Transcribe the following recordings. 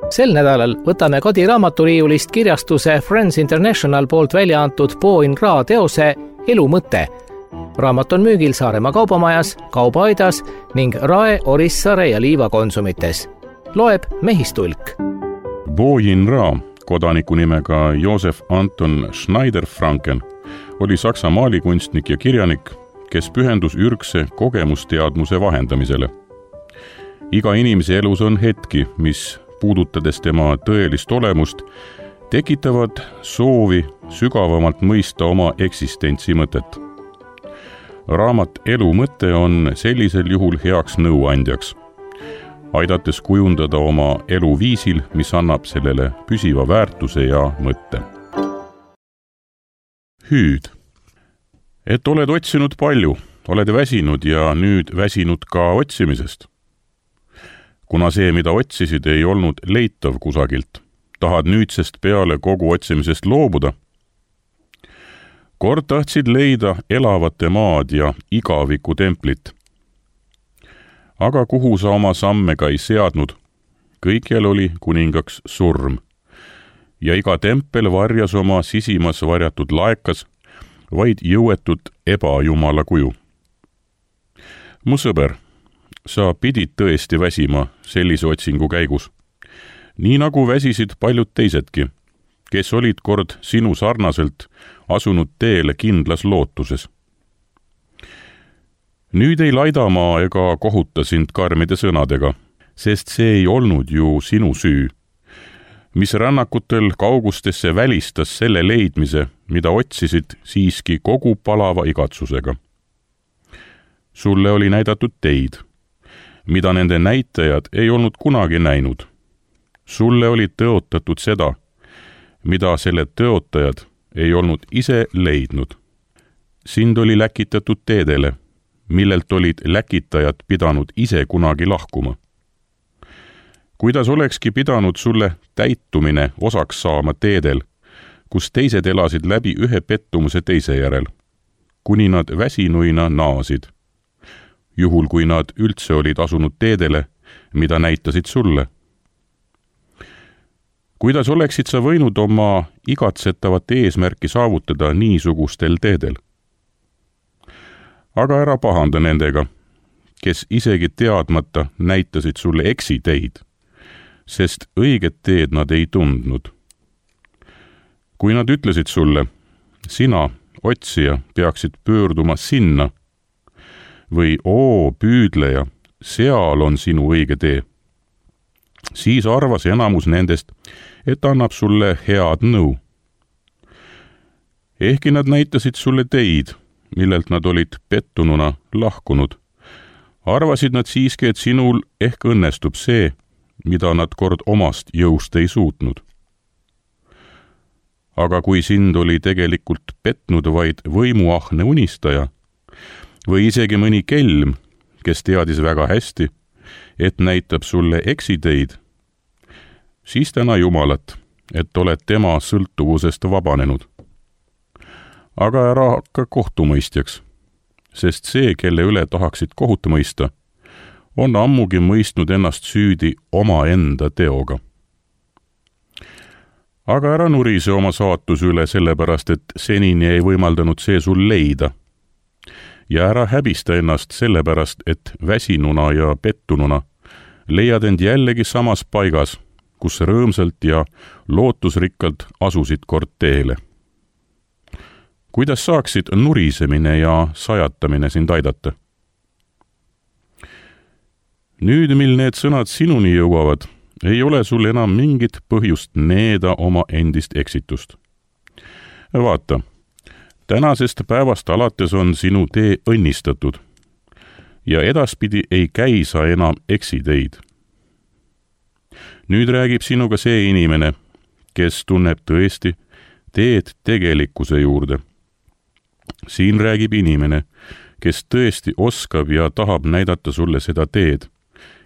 Sel nädalal võtame kodiraamatoriiulist kirjastuse Friends International poolt välja antud Po In Ra teose Elu mõte. Raamat on müügil Saaremaa kaubamajas, kaubaaidas ning Rae, Orissaare ja Liiva konsumites. Loeb Mehistulk. Po In Ra, kodaniku nimega Josef Anton Schneider-Franken, oli Saksa maalikunstnik ja kirjanik, kes pühendus ürgse kogemusteadmuse vahendamisele. Iga inimese elus on hetki, mis puudutades tema tõelist olemust, tekitavad soovi sügavamalt mõista oma eksistentsi mõtet. Raamat Elu mõte on sellisel juhul heaks nõuandjaks, aidates kujundada oma elu viisil, mis annab sellele püsiva väärtuse ja mõtte. Hüüd. Et oled otsinud palju, oled väsinud ja nüüd väsinud ka otsimisest. Kuna see, mida otsisid, ei olnud leitav kusagilt, tahad nüüdsest peale kogu otsimisest loobuda. Kord tahtsid leida elavate maad ja igaviku templit. Aga kuhu sa oma samme ka ei seadnud, kõikjal oli kuningaks surm. Ja iga tempel varjas oma sisimas varjatud laekas, vaid jõuetut ebajumala kuju. Mu sõber, sa pidid tõesti väsima sellise otsingu käigus, nii nagu väsisid paljud teisedki, kes olid kord sinu sarnaselt asunud teele kindlas lootuses. Nüüd ei laida ma ega kohuta sind karmide sõnadega, sest see ei olnud ju sinu süü, mis rännakutel kaugustesse välistas selle leidmise, mida otsisid siiski kogu palava igatsusega. Sulle oli näidatud teid, mida nende näitajad ei olnud kunagi näinud. Sulle oli tõotatud seda, mida selle tõotajad ei olnud ise leidnud. Sind oli läkitatud teedele, millelt olid läkitajad pidanud ise kunagi lahkuma. Kuidas olekski pidanud sulle täitumine osaks saama teedel, kus teised elasid läbi ühe pettumuse teise järel, kuni nad väsinuina naasid, juhul kui nad üldse olid asunud teedele, mida näitasid sulle. Kuidas oleksid sa võinud oma igatsetavat eesmärki saavutada niisugustel teedel? Aga ära pahanda nendega, kes isegi teadmata näitasid sulle eksiteid, sest õiget teed nad ei tundnud. Kui nad ütlesid sulle, sina, otsija, peaksid pöörduma sinna, või oo, püüdleja, seal on sinu õige tee, siis arvas enamus nendest, et annab sulle head nõu. Ehkki nad näitasid sulle teid, millelt nad olid pettununa lahkunud, arvasid nad siiski, et sinul ehk õnnestub see, mida nad kord omast jõust ei suutnud. Aga kui sind oli tegelikult petnud vaid võimuahne unistaja või isegi mõni kelm, kes teadis väga hästi, et näitab sulle eksiteid, siis täna Jumalat, et oled tema sõltuvusest vabanenud. Aga ära hakka kohtumõistjaks, sest see, kelle üle tahaksid kohut mõista, on ammugi mõistnud ennast süüdi omaenda teoga. Aga ära nurise oma saatuse üle sellepärast, et senini ei võimaldanud see sul leida. Ja ära häbista ennast sellepärast, et väsinuna ja pettununa leiad end jällegi samas paigas, kus rõõmsalt ja lootusrikkalt asusid kord teele. Kuidas saaksid nurisemine ja sajatamine sind aidata? Nüüd, mil need sõnad sinuni jõuavad, ei ole sul enam mingit põhjust needa oma endist eksitust. Vaata, tänasest päevast alates on sinu tee õnnistatud ja edaspidi ei käi sa enam eksiteid. Nüüd räägib sinuga see inimene, kes tunneb tõesti teed tegelikkuse juurde. Siin räägib inimene, kes tõesti oskab ja tahab näidata sulle seda teed,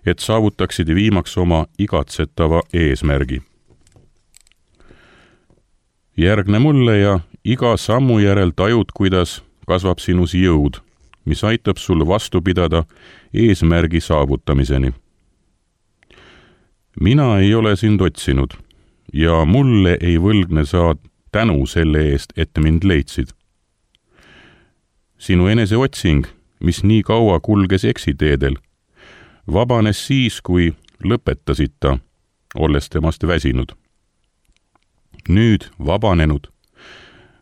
et saavutaksid viimaks oma igatsetava eesmärgi. Järgne mulle ja iga sammu järel tajud, kuidas kasvab sinus jõud, mis aitab sul vastu pidada eesmärgi saavutamiseni. mina ei ole sind otsinud ja mulle ei võlgne sa tänu selle eest, et mind leidsid. Sinu eneseotsing, mis nii kaua kulges eksiteedel, vabanes siis, kui lõpetasid ta, olles temast väsinud. Nüüd vabanenud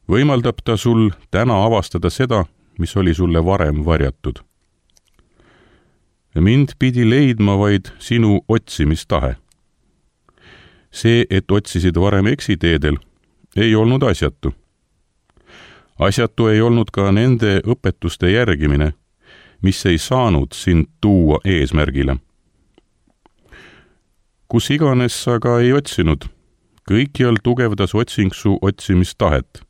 võimaldab ta sul täna avastada seda, mis oli sulle varem varjatud. Mind pidi leidma vaid sinu otsimistahe. See, et otsisid varem eksiteedel, ei olnud asjatu. Asjatu ei olnud ka nende õpetuste järgimine, mis ei saanud sind tuua eesmärgile. Kus iganes sa ka ei otsinud, kõikjal tugevdas otsing su otsimistahet.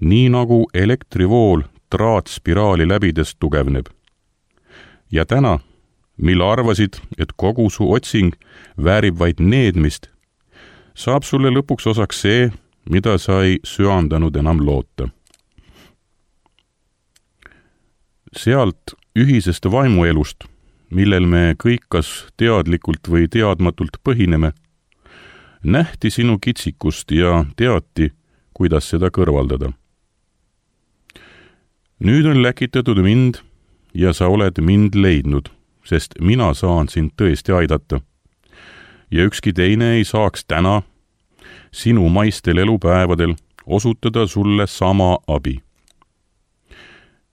Nii nagu elektrivool traatspiraali läbides tugevneb. Ja täna, mil arvasid, et kogu su otsing väärib vaid needmist, saab sulle lõpuks osaks see, mida sa ei süandanud enam loota. Sealt ühisest vaimuelust, millel me kõik kas teadlikult või teadmatult põhineme, nähti sinu kitsikust ja teati, kuidas seda kõrvaldada. Nüüd on läkitatud mind ja sa oled mind leidnud, sest mina saan sind tõesti aidata. Ja ükski teine ei saaks täna, sinu maistel elupäevadel, osutada sulle sama abi.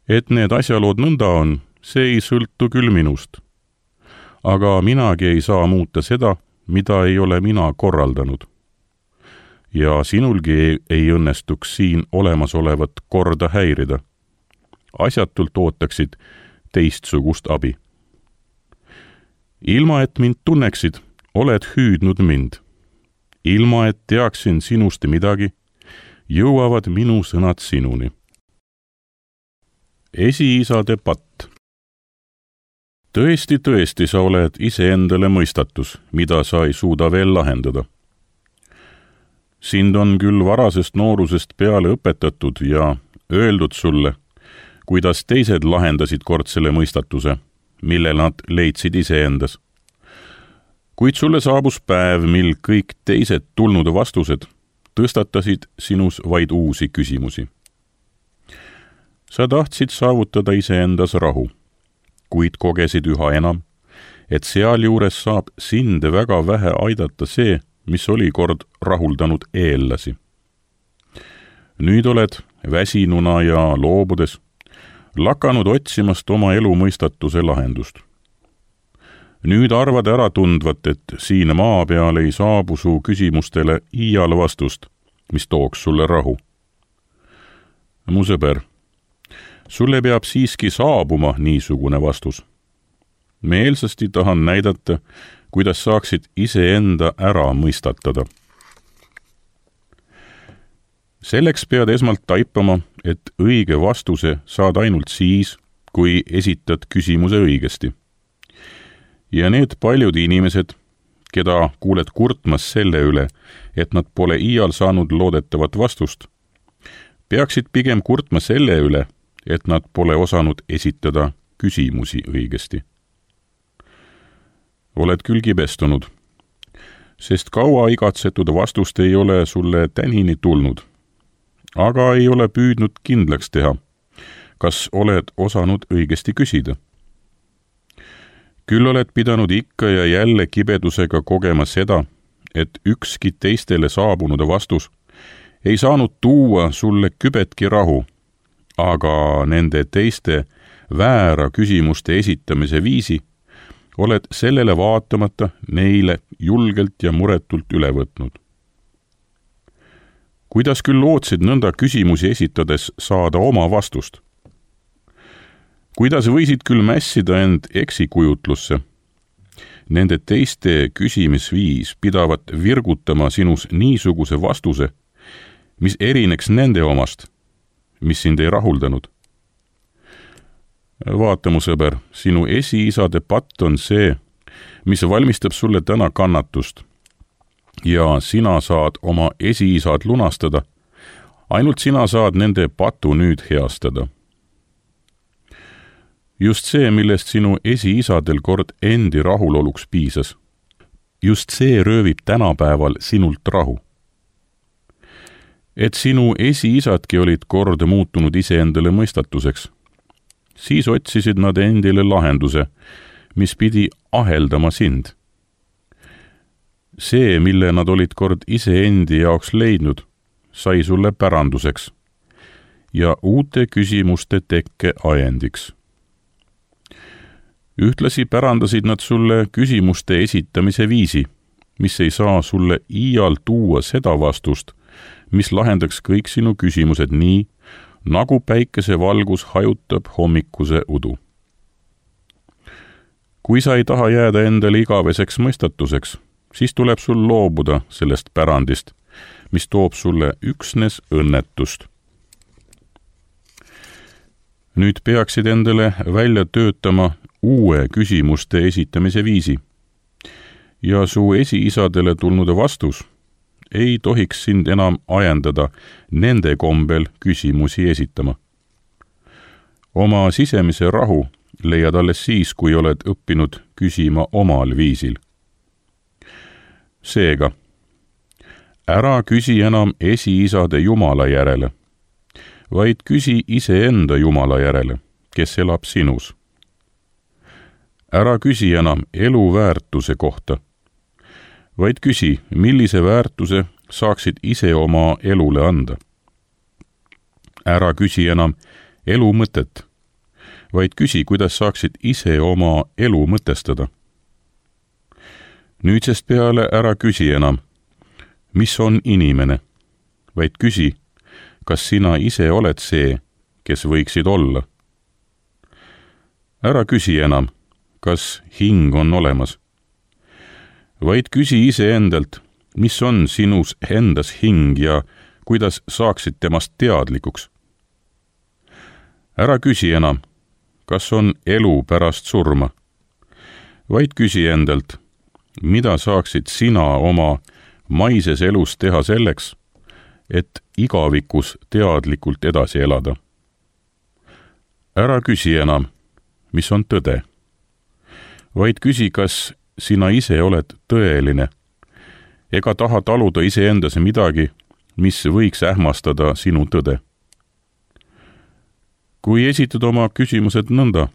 Et need asjalood nõnda on, see ei sõltu küll minust. Aga minagi ei saa muuta seda, mida ei ole mina korraldanud. Ja sinulgi ei õnnestuks siin olemasolevat korda häirida. Asjatult ootaksid teistsugust abi. Ilma, et mind tunneksid, oled hüüdnud mind. Ilma, et teaksin sinust midagi, jõuavad minu sõnad sinuni. Esiisade patt. Tõesti sa oled iseendale mõistatus, mida sa ei suuda veel lahendada. Sind on küll varasest noorusest peale õpetatud ja öeldud sulle, kuidas teised lahendasid kord selle mõistatuse, mille nad leidsid iseendas. Kuid sulle saabus päev, mil kõik teised tulnud vastused tõstatasid sinus vaid uusi küsimusi. Sa tahtsid saavutada iseendas rahu, kuid kogesid üha enam, et sealjuures saab sind väga vähe aidata see, mis oli kord rahuldanud eellasi. Nüüd oled väsinuna ja loobudes lakanud otsimast oma elu mõistatuse lahendust. Nüüd arvad ära tundvat, et siin maa peal ei saabu su küsimustele iial vastust, mis tooks sulle rahu. Mu sõber, sulle peab siiski saabuma niisugune vastus. Meelsasti tahan näidata, kuidas saaksid iseenda ära mõistatada. Selleks pead esmalt taipama, et õige vastuse saad ainult siis, kui esitad küsimuse õigesti. Ja need paljud inimesed, keda kuuled kurtmas selle üle, et nad pole iial saanud loodetavat vastust, peaksid pigem kurtma selle üle, et nad pole osanud esitada küsimusi õigesti. Oled küll kibestunud, sest kaua igatsetud vastust ei ole sulle tänini tulnud, aga ei ole püüdnud kindlaks teha, kas oled osanud õigesti küsida. Küll oled pidanud ikka ja jälle kibedusega kogema seda, et ükski teistele saabunud vastus ei saanud tuua sulle kübetki rahu, aga nende teiste väära küsimuste esitamise viisi oled sellele vaatamata neile julgelt ja muretult üle võtnud. Kuidas küll lootsid nõnda küsimusi esitades saada oma vastust? Kuidas võisid küll mässida end eksikujutlusse? Nende teiste küsimisviis pidavat virgutama sinus niisuguse vastuse, mis erineks nende omast, mis sind ei rahuldanud. Vaata, mu sõber, sinu esiisade patt on see, mis valmistab sulle täna kannatust. Ja sina saad oma esiisad lunastada, ainult sina saad nende patu nüüd heastada. Just see, millest sinu esiisadel kord endi rahuloluks piisas, just see röövib tänapäeval sinult rahu. Et sinu esiisadki olid kord muutunud iseendale mõistatuseks, siis otsisid nad endile lahenduse, mis pidi aheldama sind. See, mille nad olid kord iseendi jaoks leidnud, sai sulle päranduseks ja uute küsimuste tekke ajendiks. Ühtlasi pärandasid nad sulle küsimuste esitamise viisi, mis ei saa sulle iial tuua seda vastust, mis lahendaks kõik sinu küsimused nii, nagu päikesevalgus hajutab hommikuse udu. Kui sa ei taha jääda endale igaveseks mõistatuseks, siis tuleb sul loobuda sellest pärandist, mis toob sulle üksnes õnnetust. Nüüd peaksid endale välja töötama uue küsimuste esitamise viisi ja su esiisadele tulnud vastus ei tohiks sind enam ajendada nende kombel küsimusi esitama. Oma sisemise rahu leiad alles siis, kui oled õppinud küsima omal viisil. Seega, ära küsi enam esiisade Jumala järele, vaid küsi iseenda Jumala järele, kes elab sinus. Ära küsi enam elu väärtuse kohta, vaid küsi, millise väärtuse saaksid ise oma elule anda. Ära küsi enam elu mõtet, vaid küsi, kuidas saaksid ise oma elu mõtestada. Nüüdsest peale ära küsi enam, mis on inimene, vaid küsi, kas sina ise oled see, kes võiksid olla. Ära küsi enam, kas hing on olemas, vaid küsi iseendalt, mis on sinus endas hing ja kuidas saaksid temast teadlikuks. Ära küsi enam, kas on elu pärast surma, vaid küsi endalt, mida saaksid sina oma maises elus teha selleks, et igavikus teadlikult edasi elada. Ära küsi enam, mis on tõde, vaid küsi, kas sina ise oled tõeline ega taha taluda iseendas midagi, mis võiks ähmastada sinu tõde. Kui esitad oma küsimused nõnda,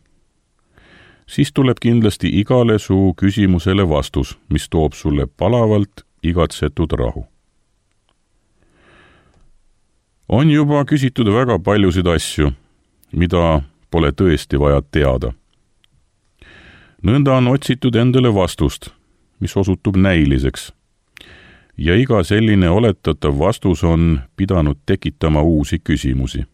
siis tuleb kindlasti igale su küsimusele vastus, mis toob sulle palavalt igatsetud rahu. On juba küsitud väga paljusid asju, mida pole tõesti vaja teada. Nõnda on otsitud endale vastust, mis osutub näiliseks, ja iga selline oletatav vastus on pidanud tekitama uusi küsimusi.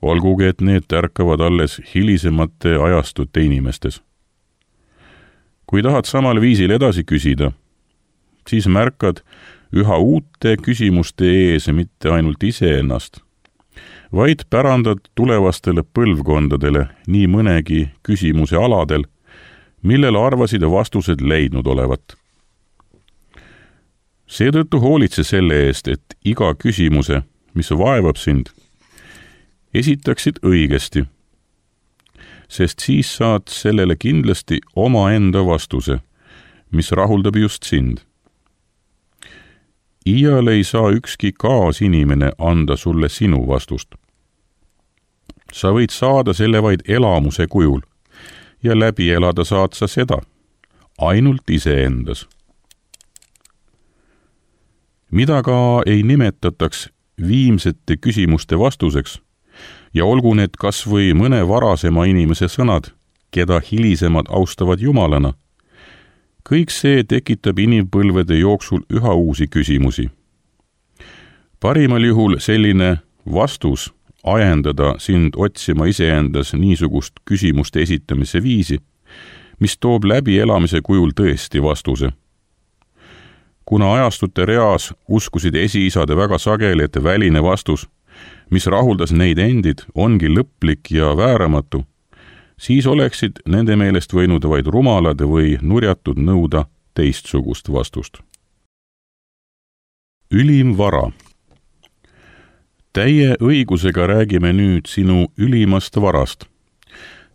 Olgugi, et need ärkavad alles hilisemate ajastute inimestes. Kui tahad samal viisil edasi küsida, siis märkad üha uute küsimuste ees mitte ainult iseennast, vaid pärandad tulevastele põlvkondadele nii mõnegi küsimuse aladel, millele arvasid vastused leidnud olevat. Seetõttu hoolitse selle eest, et iga küsimuse, mis vaevab sind, esitaksid õigesti, sest siis saad sellele kindlasti omaenda vastuse, mis rahuldab just sind. Iial ei saa ükski kaasinimene anda sulle sinu vastust. Sa võid saada selle vaid elamuse kujul ja läbi elada saad sa seda ainult iseendas. Mida ka ei nimetataks viimsete küsimuste vastuseks, ja olgu need kas või mõne varasema inimese sõnad, keda hilisemad austavad Jumalana, kõik see tekitab inimpõlvede jooksul üha uusi küsimusi. Parimal juhul selline vastus ajendada sind otsima iseendas niisugust küsimuste esitamise viisi, mis toob läbi elamise kujul tõesti vastuse. Kuna ajastute reas uskusid esiisade väga sageli, et väline vastus, mis rahuldas neid endid, ongi lõplik ja vääramatu, siis oleksid nende meelest võinud vaid rumalad või nurjatud nõuda teistsugust vastust. Ülim vara. Täie õigusega räägime nüüd sinu ülimast varast,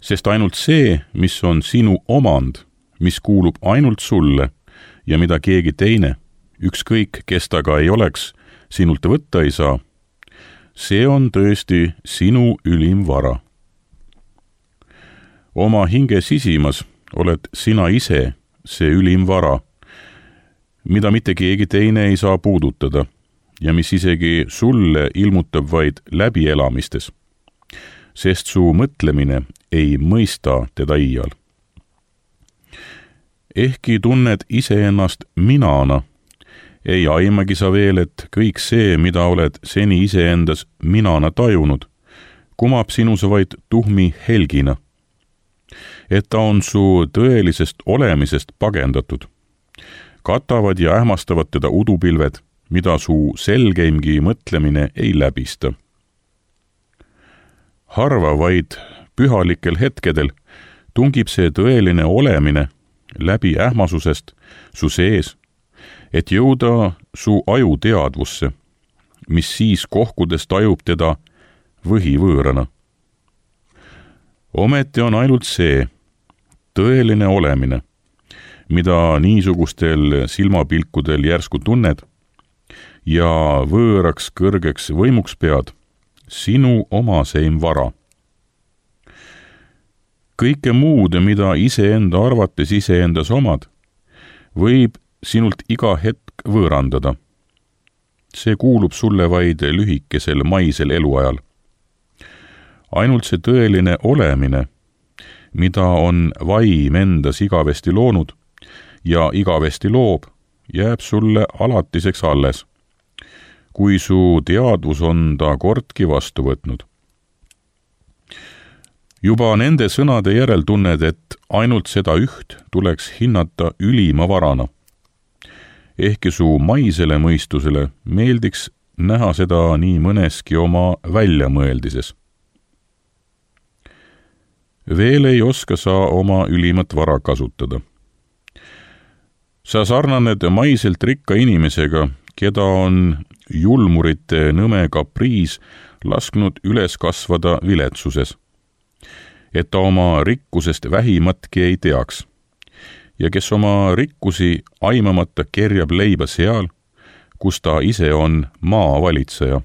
sest ainult see, mis on sinu omand, mis kuulub ainult sulle ja mida keegi teine, ükskõik kes ta ka ei oleks, sinult võtta ei saa, see on tõesti sinu ülim vara. Oma hinge sisimas oled sina ise see ülim vara, mida mitte keegi teine ei saa puudutada ja mis isegi sulle ilmutab vaid läbielamistes, sest su mõtlemine ei mõista teda iial. Ehkki tunned iseennast minana, ei aimagi sa veel, et kõik see, mida oled seni iseendas minana tajunud, kumab sinus vaid tuhmi helgina, et ta on su tõelisest olemisest pagendatud. Katavad ja ähmastavad teda udupilved, mida su selgeimgi mõtlemine ei läbista. Harva vaid pühalikel hetkedel tungib see tõeline olemine läbi ähmasusest su sees, et jõuda su aju teadvusse, mis siis kohkudes tajub teda võhivõõrana. Ometi on ainult see tõeline olemine, mida niisugustel silmapilkudel järsku tunned ja võõraks kõrgeks võimuks pead, sinu omaseim vara. Kõike muud, mida iseenda arvates iseendas omad, võib sinult iga hetk võõrandada. See kuulub sulle vaid lühikesel maisel eluajal. Ainult see tõeline olemine, mida on vaim endas igavesti loonud ja igavesti loob, jääb sulle alatiseks alles, kui su teadvus on ta kordki vastu võtnud. Juba nende sõnade järel tunned, et ainult seda üht tuleks hinnata ülima varana. Ehkki su maisele mõistusele meeldiks näha seda nii mõneski oma väljamõeldises. Veel ei oska sa oma ülimat vara kasutada. Sa sarnaned maiselt rikka inimesega, keda on julmurite nõme kapriis lasknud üles kasvada viletsuses, et ta oma rikkusest vähimatki ei teaks ja kes oma rikkusi aimamata kerjab leiba seal, kus ta ise on maavalitseja.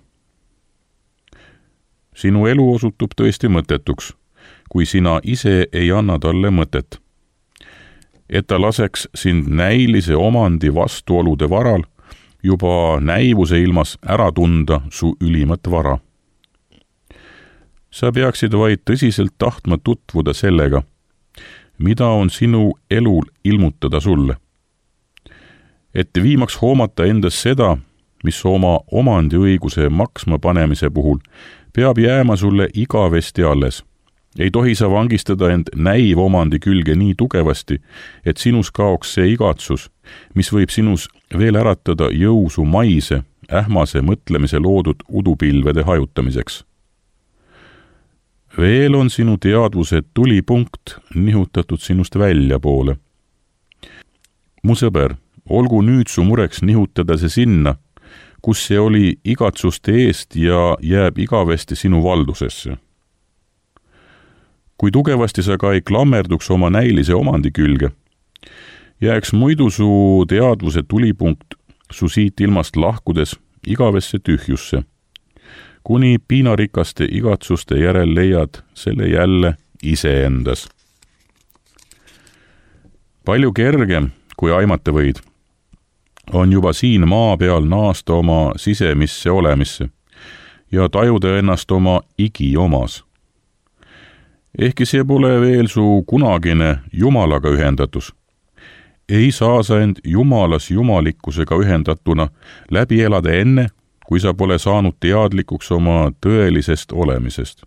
Sinu elu osutub tõesti mõttetuks, kui sina ise ei anna talle mõtet, et ta laseks sind näilise omandi vastuolude varal juba näivuse ilmas ära tunda su ülimat vara. Sa peaksid vaid tõsiselt tahtma tutvuda sellega, mida on sinu elul ilmutada sulle. Et viimaks hoomata endas seda, mis oma omandiõiguse maksma panemise puhul peab jääma sulle igavesti alles. Ei tohi sa vangistada end näivomandi külge nii tugevasti, et sinus kaoks see igatsus, mis võib sinus veel äratada jõusu maise, ähmase mõtlemise loodud udupilvede hajutamiseks. Veel on sinu teadvuse tulipunkt nihutatud sinust väljapoole. Mu sõber, olgu nüüd su mureks nihutada see sinna, kus see oli igatsuste eest ja jääb igavesti sinu valdusesse. Kui tugevasti sa ka ei klammerduks oma näilise omandi külge, jääks muidu su teadvuse tulipunkt su siit ilmast lahkudes igavesse tühjusse, kuni piinarikaste igatsuste järel leiad selle jälle iseendas. Palju kergem, kui aimata võid, on juba siin maa peal naasta oma sisemisse olemisse ja tajuda ennast oma igiomas. Ehkki see pole veel su kunagine Jumalaga ühendatus, ei saa sa end Jumalas jumalikkusega ühendatuna läbi elada enne, kui sa pole saanud teadlikuks oma tõelisest olemisest.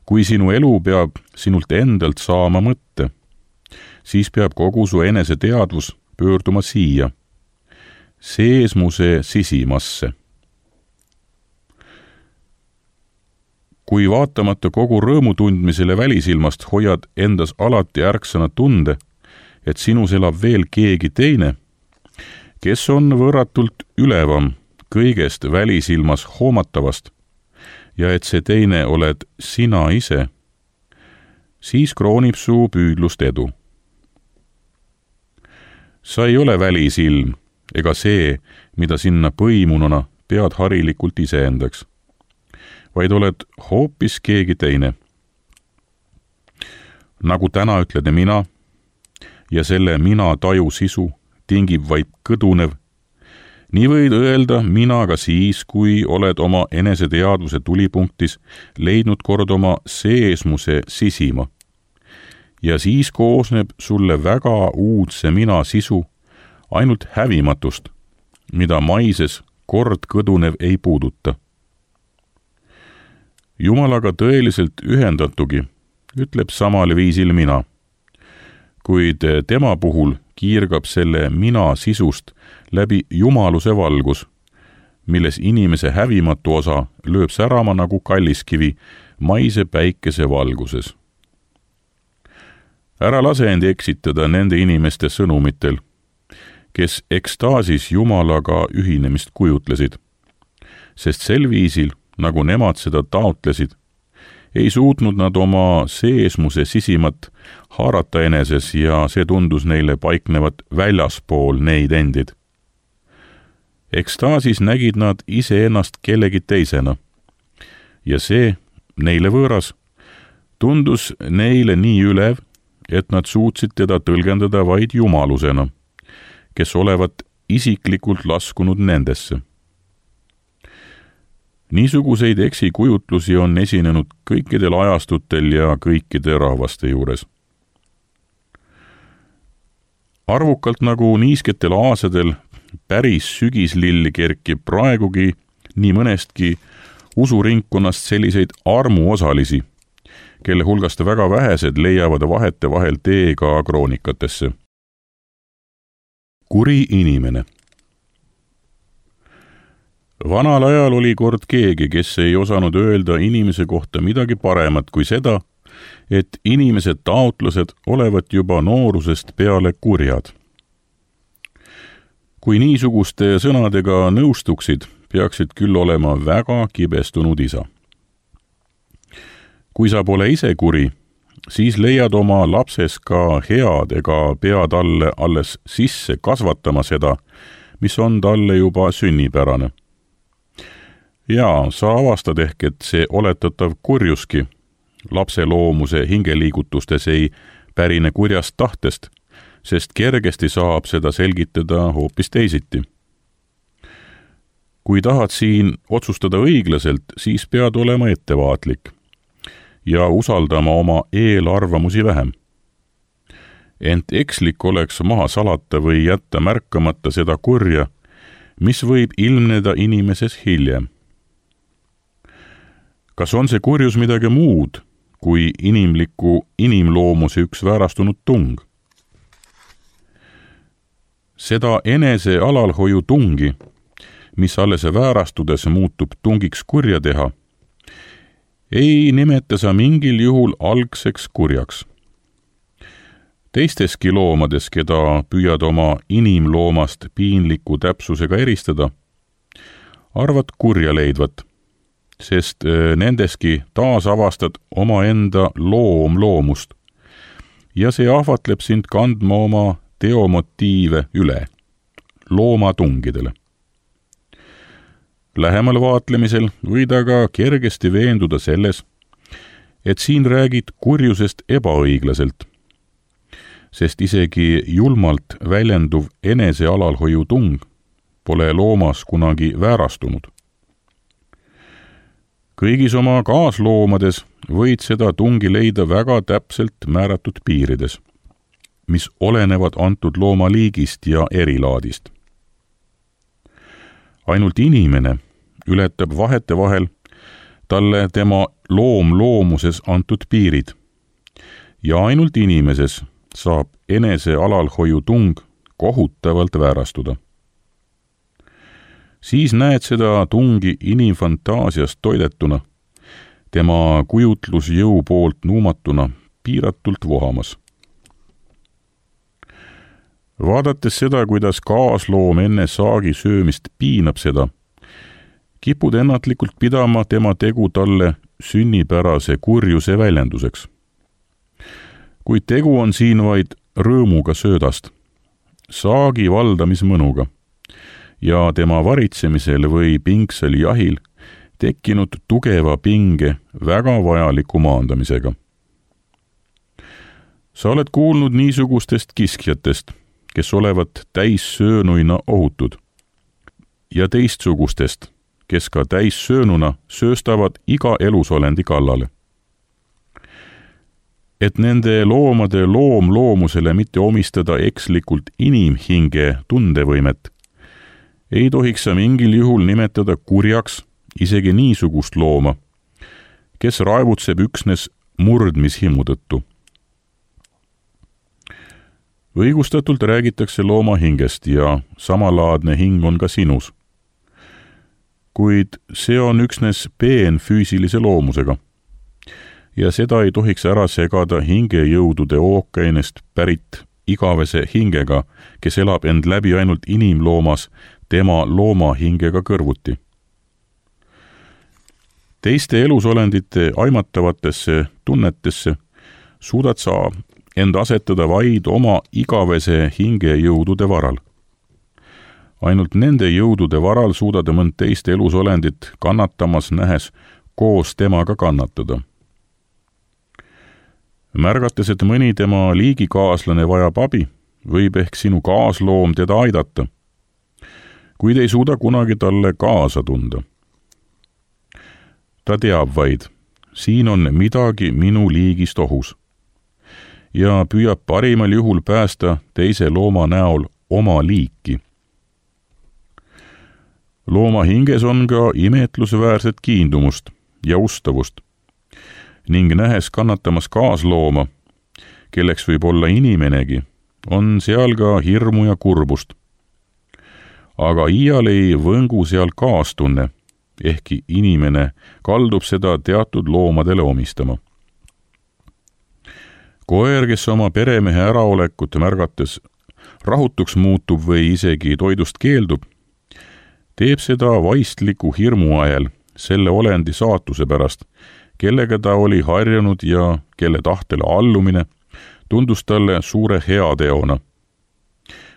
Kui sinu elu peab sinult endalt saama mõtte, siis peab kogu su enese teadvus pöörduma siia, seesmuse sisimasse. Kui vaatamata kogu rõõmu tundmisele välisilmast hoiad endas alati ärksana tunde, et sinus elab veel keegi teine, kes on võrratult ülevam kõigest välisilmas hoomatavast ja et see teine oled sina ise, siis kroonib su püüdlust edu. sa ei ole välisilm ega see, mida sinna põimununa pead harilikult iseendaks, vaid oled hoopis keegi teine. Nagu täna ütled mina ja selle mina taju sisu tingib vaid kõdunev, nii võid öelda mina ka siis, kui oled oma eneseteadvuse tulipunktis leidnud kord oma seesmuse sisima. Ja siis koosneb sulle väga uudse mina sisu ainult hävimatust, mida maises kord kõdunev ei puuduta. Jumalaga tõeliselt ühendatugi ütleb samal viisil mina, kuid tema puhul kiirgab selle mina sisust läbi jumaluse valgus, milles inimese hävimatu osa lööb särama nagu kalliskivi maise päikese valguses. Ära lase end eksitada nende inimeste sõnumitel, kes ekstaasis Jumalaga ühinemist kujutlesid, sest sel viisil, nagu nemad seda taotlesid, ei suutnud nad oma seesmuse sisimat haarata eneses ja see tundus neile paiknevat väljaspool neid endid. Ekstaasis nägid nad iseennast kellegi teisena ja see, neile võõras, tundus neile nii ülev, et nad suutsid teda tõlgendada vaid jumalusena, kes olevat isiklikult laskunud nendesse. Niisuguseid eksikujutlusi on esinenud kõikidel ajastutel ja kõikide rahvaste juures. Arvukalt nagu niisketel aasadel päris sügislill kerkib praegugi nii mõnestki usuringkonnast selliseid armuosalisi, kelle hulgast väga vähesed leiavad vahetevahel tee ka kroonikatesse. Kuri inimene. Vanal ajal oli kord keegi, kes ei osanud öelda inimese kohta midagi paremat kui seda, et inimese taotlused olevat juba noorusest peale kurjad. Kui niisuguste sõnadega nõustuksid, peaksid küll olema väga kibestunud isa. Kui sa pole ise kuri, siis leiad oma lapses ka head ega pea talle alles sisse kasvatama seda, mis on talle juba sünnipärane. Ja sa avastad ehk, et see oletatav kurjuski lapse loomuse hingeliigutustes ei pärine kurjast tahtest, sest kergesti saab seda selgitada hoopis teisiti. Kui tahad siin otsustada õiglaselt, siis pead olema ettevaatlik ja usaldama oma eelarvamusi vähem. Ent ekslik oleks maha salata või jätta märkamata seda kurja, mis võib ilmneda inimeses hiljem. Kas on see kurjus midagi muud kui inimloomuse üks väärastunud tung? Seda enese alalhoiu tungi, mis alles väärastudes muutub tungiks kurja teha, ei nimeta sa mingil juhul algseks kurjaks. Teisteski loomades, keda püüad oma inimloomast piinliku täpsusega eristada, arvad kurja leidvat, sest nendeski taas avastad omaenda loomust ja see ahvatleb sind kandma oma teomotiive üle, loomatungidele. Lähemal vaatlemisel võid aga kergesti veenduda selles, et siin räägid kurjusest ebaõiglaselt, sest isegi julmalt väljenduv enese alalhoiu tung pole loomas kunagi väärastunud. Kõigis oma kaasloomades võid seda tungi leida väga täpselt määratud piirides, mis olenevad antud looma liigist ja erilaadist. Ainult inimene ületab vahetevahel talle tema loomuses antud piirid ja ainult inimeses saab enese alalhoiu tung kohutavalt väärastuda. Siis näed seda tungi inimfantaasiast toidetuna, tema kujutlusjõu poolt nuumatuna piiratult vohamas. Vaadates seda, kuidas kaasloom enne saagi söömist piinab seda, kipud ennatlikult pidama tema tegu talle sünnipärase kurjuse väljenduseks. Kuid tegu on siin vaid rõõmuga söödast, saagi valdamismõnuga ja tema varitsemisel või pingsel jahil tekkinud tugeva pinge väga vajaliku maandamisega. Sa oled kuulnud niisugustest kiskjatest, kes olevat täissöönuina ohutud, ja teistsugustest, kes ka täissöönuna sööstavad iga elusolendi kallale. Et nende loomade loomloomusele mitte omistada ekslikult inimhinge tundevõimet, ei tohiks sa mingil juhul nimetada kurjaks isegi niisugust looma, kes raevutseb üksnes murdmishimu tõttu. Õigustatult räägitakse looma hingest ja samalaadne hing on ka sinus. Kuid see on üksnes peenfüüsilise loomusega ja seda ei tohiks ära segada hingejõudude ookeanist pärit igavese hingega, kes elab end läbi ainult inimloomas tema loomahingega kõrvuti. Teiste elusolendite aimatavatesse tunnetesse suudad sa end asetada vaid oma igavese hingejõudude varal. Ainult nende jõudude varal suudad mõnd teist elusolendit kannatamas nähes koos temaga kannatada. Märgates, et mõni tema liigikaaslane vajab abi, võib ehk sinu kaasloom teda aidata, kuid ei suuda kunagi talle kaasa tunda. Ta teab vaid, siin on midagi minu liigist ohus ja püüab parimal juhul päästa teise looma näol oma liiki. Looma hinges on ka imetlusväärset kiindumust ja ustavust ning nähes kannatamas kaaslooma, kelleks võib olla inimenegi, on seal ka hirmu ja kurbust. Aga iial ei võngu seal kaastunne, ehkki inimene kaldub seda teatud loomadele omistama. Koer, kes oma peremehe äraolekut märgates rahutuks muutub või isegi toidust keeldub, teeb seda vaistliku hirmu ajal selle olendi saatuse pärast, kellega ta oli harjunud ja kelle tahtele allumine tundus talle suure heateona.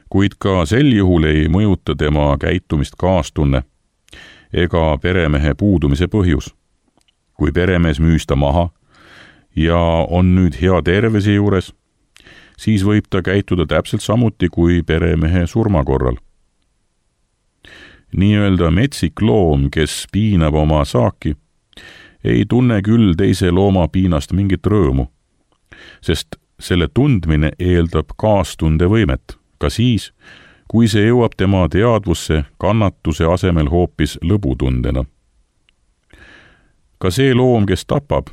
Kuid ka sel juhul ei mõjuta tema käitumist kaastunne ega peremehe puudumise põhjus. Kui peremees müüs ta maha ja on nüüd hea tervise juures, siis võib ta käituda täpselt samuti kui peremehe surma korral. Nii-öelda metsik loom, kes piinab oma saaki, ei tunne küll teise looma piinast mingit rõõmu, sest selle tundmine eeldab kaastundevõimet, ka siis, kui see jõuab tema teadvusse kannatuse asemel hoopis lõbutundena. Ka see loom, kes tapab,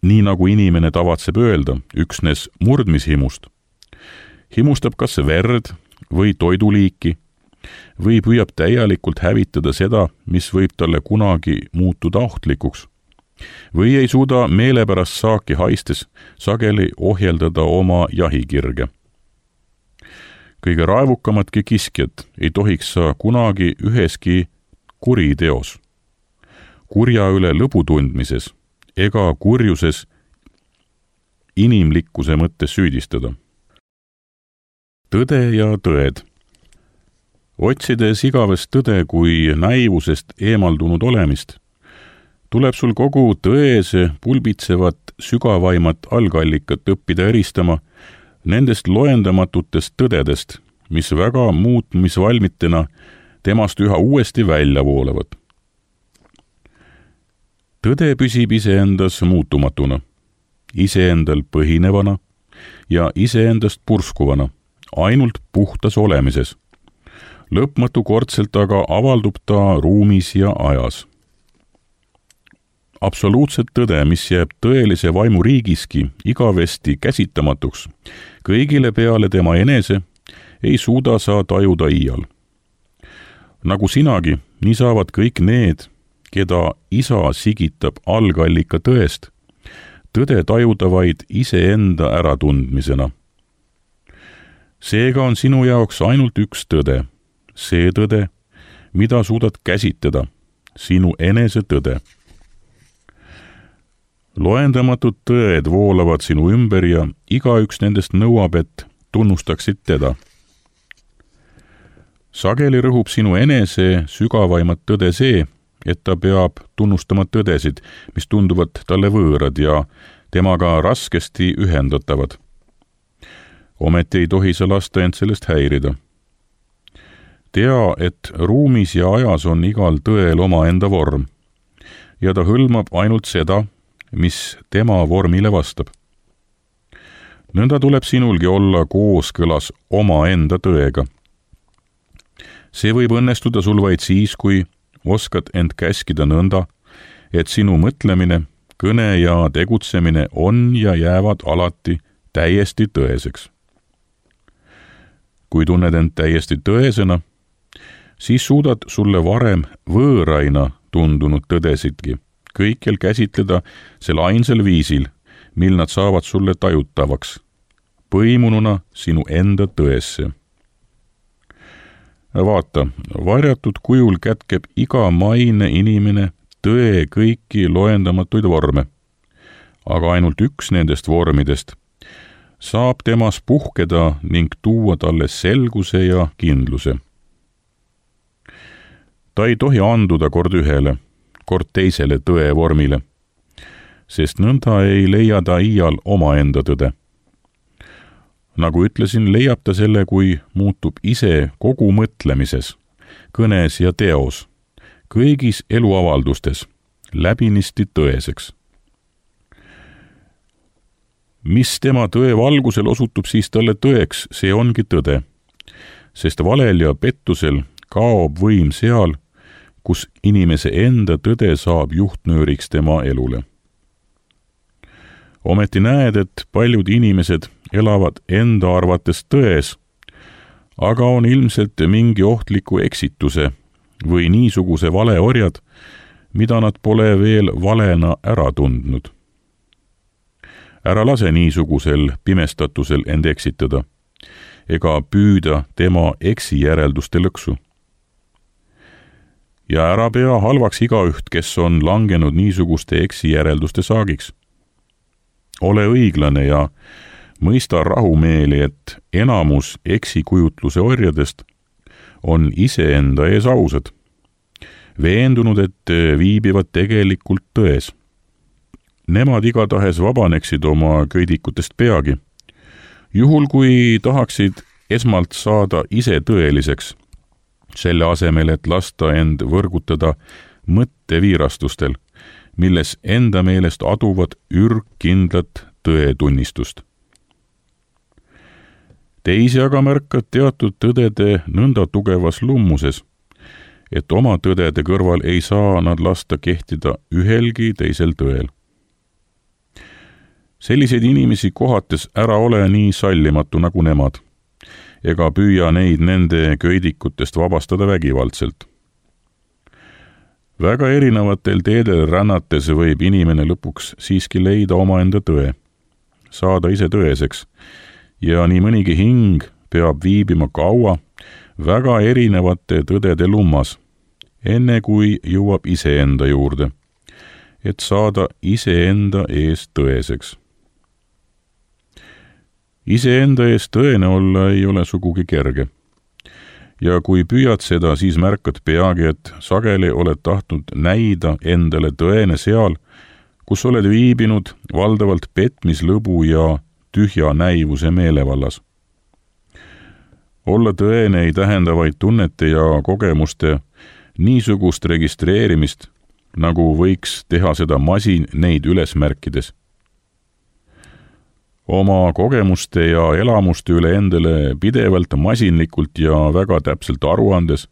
nii nagu inimene tavatseb öelda, üksnes murdmishimust, himustab kas verd või toiduliiki või püüab täielikult hävitada seda, mis võib talle kunagi muutuda ohtlikuks, või ei suuda meelepärast saaki haistes sageli ohjeldada oma jahikirge. Kõige raevukamatki kiskjad ei tohiks sa kunagi üheski kuriteos, kurja üle lõbu tundmises ega kurjuses inimlikkuse mõttes süüdistada. Tõde ja tõed. Otsides igavest tõde kui näivusest eemaldunud olemist, tuleb sul kogu tõese pulbitsevat sügavaimat algallikat õppida eristama nendest loendamatutest tõdedest, mis väga muutmisvalmitena temast üha uuesti välja voolavad. Tõde püsib iseendas muutumatuna, iseendal põhinevana ja iseendast purskuvana, ainult puhtas olemises. Lõpmatukordselt aga avaldub ta ruumis ja ajas. Absoluutset tõde, mis jääb tõelise vaimuriigiski igavesti käsitamatuks, kõigile peale tema enese, ei suuda sa tajuda iial. Nagu sinagi, nii saavad kõik need, keda isa sigitab algallika tõest, tõde tajuda vaid iseenda äratundmisena. Seega on sinu jaoks ainult üks tõde, see tõde, mida suudad käsitleda, sinu enese tõde. Loendamatud tõed voolavad sinu ümber ja igaüks nendest nõuab, et tunnustaksid teda. sageli rõhub sinu enese sügavaimat tõde see, et ta peab tunnustama tõdesid, mis tunduvad talle võõrad ja temaga raskesti ühendatavad. Ometi ei tohi sa lasta end sellest häirida. Tea, et ruumis ja ajas on igal tõel omaenda vorm ja ta hõlmab ainult seda, mis tema vormile vastab. Nõnda tuleb sinulgi olla kooskõlas omaenda tõega. See võib õnnestuda sul vaid siis, kui oskad end käskida nõnda, et sinu mõtlemine, kõne ja tegutsemine on ja jäävad alati täiesti tõeseks. Kui tunned end täiesti tõesena, siis suudad sulle varem võõraina tundunud tõdesidki kõikjal käsitleda sel ainsal viisil, mil nad saavad sulle tajutavaks, põimununa sinu enda tõesse. Vaata, varjatud kujul kätkeb iga maine inimene tõe kõiki loendamatuid vorme, aga ainult üks nendest vormidest saab temas puhkeda ning tuua talle selguse ja kindluse. Ta ei tohi anduda kord ühele, kord teisele tõe vormile, sest nõnda ei leia ta iial omaenda tõde. Nagu ütlesin, leiab ta selle, kui muutub ise kogu mõtlemises, kõnes ja teos, kõigis eluavaldustes, läbinisti tõeseks. Mis tema tõe valgusel osutub siis talle tõeks, see ongi tõde, sest valel ja pettusel kaob võim seal, kus inimese enda tõde saab juhtnööriks tema elule. Ometi näed, et paljud inimesed elavad enda arvates tões, aga on ilmselt mingi ohtliku eksituse või niisuguse valeorjad, mida nad pole veel valena ära tundnud. Ära lase niisugusel pimestatusel end eksitada, ega püüda tema eksijärelduste lõksu. Ja ära pea halvaks igaüht, kes on langenud niisuguste eksijärelduste saagiks. Ole õiglane ja mõista rahumeeli, et enamus eksikujutluse orjadest on iseenda ees ausad, veendunud, et viibivad tegelikult tões. Nemad igatahes vabaneksid oma köidikutest peagi, juhul kui tahaksid esmalt saada ise tõeliseks, selle asemel, et lasta end võrgutada mõtteviirastustel, milles enda meelest aduvad ürgkindlat tõetunnistust. Teisi aga märkad teatud tõdede nõnda tugevas lummuses, et oma tõdede kõrval ei saa nad lasta kehtida ühelgi teisel tõel. Selliseid inimesi kohates ära ole nii sallimatu nagu nemad, ega püüa neid nende köidikutest vabastada vägivaldselt. Väga erinevatel teedel rännates võib inimene lõpuks siiski leida omaenda tõe, saada ise tõeseks, ja nii mõnigi hing peab viibima kaua väga erinevate tõdede lummas, enne kui jõuab iseenda juurde, et saada iseenda ees tõeseks. Iseenda ees tõene olla ei ole sugugi kerge. Ja kui püüad seda, siis märkad peagi, et sageli oled tahtnud näida endale tõene seal, kus oled viibinud valdavalt petmislõbu ja tühja näivuse meelevallas. Olla tõene ei tähenda vaid tunnete ja kogemuste niisugust registreerimist, nagu võiks teha seda masin neid üles märkides. Oma kogemuste ja elamuste üle endale pidevalt masinlikult ja väga täpselt aruandes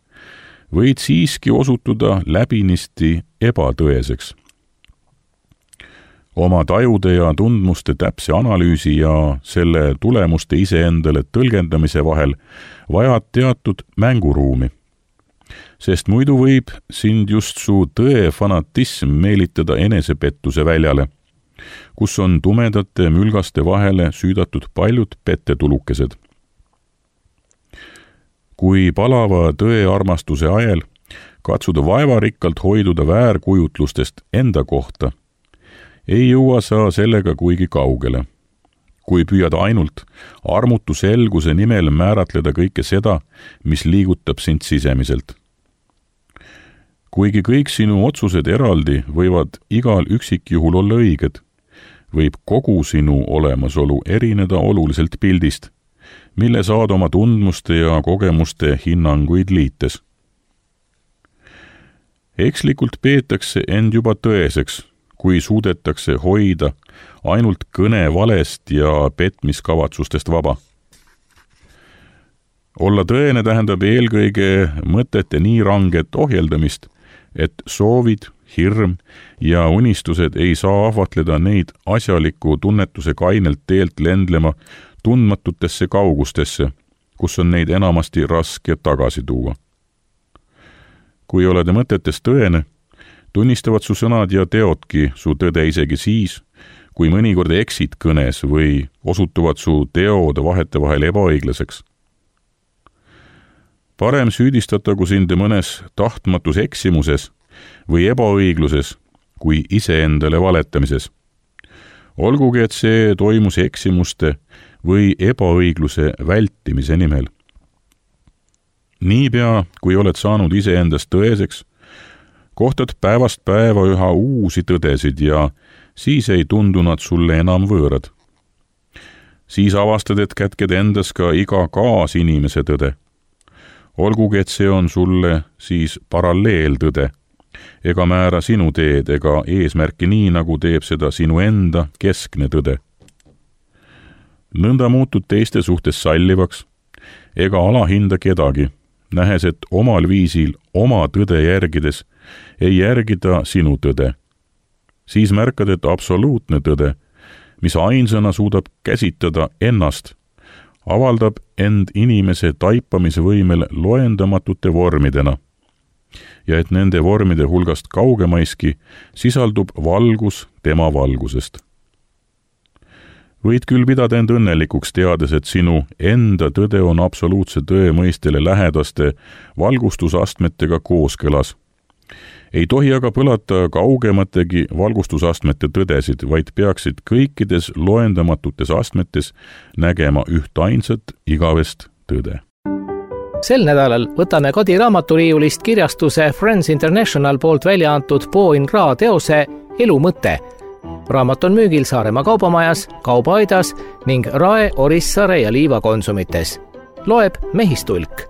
võid siiski osutuda läbinisti ebatõeseks. Oma tajude ja tundmuste täpse analüüsi ja selle tulemuste iseendale tõlgendamise vahel vajad teatud mänguruumi, sest muidu võib sind just su tõe fanatism meelitada enesepettuse väljale, kus on tumedate mülgaste vahele süüdatud paljud pettetulukesed. Kui palava tõearmastuse ajel katsuda vaevarikkalt hoiduda väärkujutlustest enda kohta, ei jõua sa sellega kuigi kaugele. kui püüad ainult armutu selguse nimel määratleda kõike seda, mis liigutab sind sisemiselt. Kuigi kõik sinu otsused eraldi võivad igal üksikjuhul olla õiged, võib kogu sinu olemasolu erineda oluliselt pildist, mille saad oma tundmuste ja kogemuste hinnanguid liites. Ekslikult peetakse end juba tõeseks, kui suudetakse hoida ainult kõne valest ja petmiskavatsustest vaba. Olla tõene tähendab eelkõige mõtete nii ranget ohjeldamist, et soovid, hirm ja unistused ei saa ahvatleda neid asjaliku tunnetuse kainelt teelt lendlema tundmatutesse kaugustesse, kus on neid enamasti raske tagasi tuua. Kui oled mõtetes tõene, tunnistavad su sõnad ja teodki su tõde isegi siis, kui mõnikord eksid kõnes või osutuvad su teod vahetevahel ebaõiglaseks. Parem süüdistatagu sind mõnes tahtmatus eksimuses või ebaõigluses, kui iseendale valetamises. Olgugi, et see toimus eksimuste või ebaõigluse vältimise nimel. Niipea, kui oled saanud iseendast tõeseks, kohtad päevast päeva üha uusi tõdesid ja siis ei tundu nad sulle enam võõrad. Siis avastad, et kätked endas ka iga kaasinimese tõde. Olgugi, et see on sulle siis paralleeltõde, ega määra sinu teed ega eesmärki nii, nagu teeb seda sinu enda keskne tõde. Nõnda muutud teiste suhtes sallivaks, ega alahinda kedagi, nähes, et omal viisil oma tõde järgides ei järgida sinu tõde. Siis märkad, et absoluutne tõde, mis ainsana suudab käsitada ennast, avaldab end inimese taipamise võimel loendamatute vormidena ja et nende vormide hulgast kaugemaiski sisaldub valgus tema valgusest. Võid küll pidada end õnnelikuks teades, et sinu enda tõde on absoluutse tõe mõistele lähedaste valgustusastmetega kooskõlas. Ei tohi aga põlata kaugemategi valgustusastmete tõdesid, vaid peaksid kõikides loendamatutes astmetes nägema ühtainsat igavest tõde. Sel nädalal võtame Kadi raamaturiiulist kirjastuse Friends International poolt välja antud Po in Ra teose Elu mõte. Raamat on müügil Saaremaa kaubamajas, Kaubaaidas ning Rae, Orissaare ja Liiva konsumites. Loeb Mehistulk.